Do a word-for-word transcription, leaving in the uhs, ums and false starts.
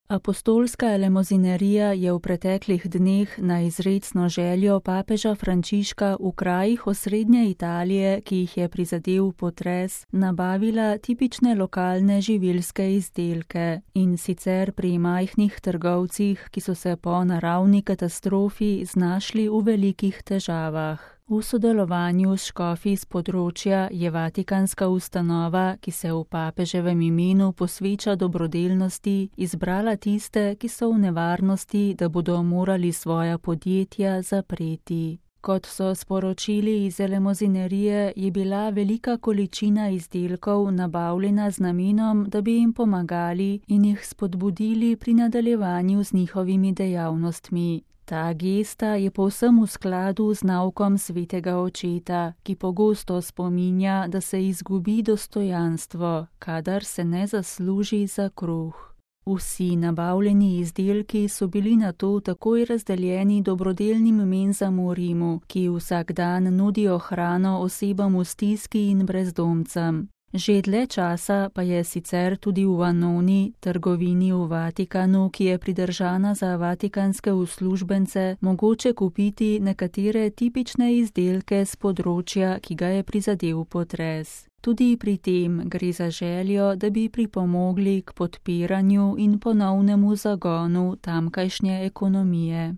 Apostolska elemozinerija je v preteklih dneh na izrecno željo papeža Frančiška v krajih osrednje Italije, ki jih je prizadel potres, nabavila tipične lokalne živilske izdelke, in sicer pri majhnih trgovcih, ki so se po naravni katastrofi znašli v velikih težavah. V sodelovanju s škofi s področja je vatikanska ustanova, ki se v papeževem imenu posveča dobrodelnosti, izbrala tiste, ki so v nevarnosti, da bodo morali svoja podjetja zapreti. Kot so sporočili iz elemozinerije, je bila velika količina izdelkov nabavljena z namenom, da bi jim pomagali in jih spodbudili pri nadaljevanju z njihovimi dejavnostmi. Ta gesta je povsem v skladu z naukom svetega očeta, ki pogosto spominja, da se izgubi dostojanstvo, kadar se ne zasluži za kruh. Vsi nabavljeni izdelki so bili nato takoj razdeljeni dobrodelnim menzam v Rimu, ki vsak dan nudijo hrano osebam v stiski in brezdomcem. Že dlje časa pa je sicer tudi v Annoni, trgovini v Vatikanu, ki je pridržana za vatikanske uslužbence, mogoče kupiti nekatere tipične izdelke s področja, ki ga je prizadel potres. Tudi pri tem gre za željo, da bi pripomogli k podpiranju in ponovnemu zagonu tamkajšnje ekonomije.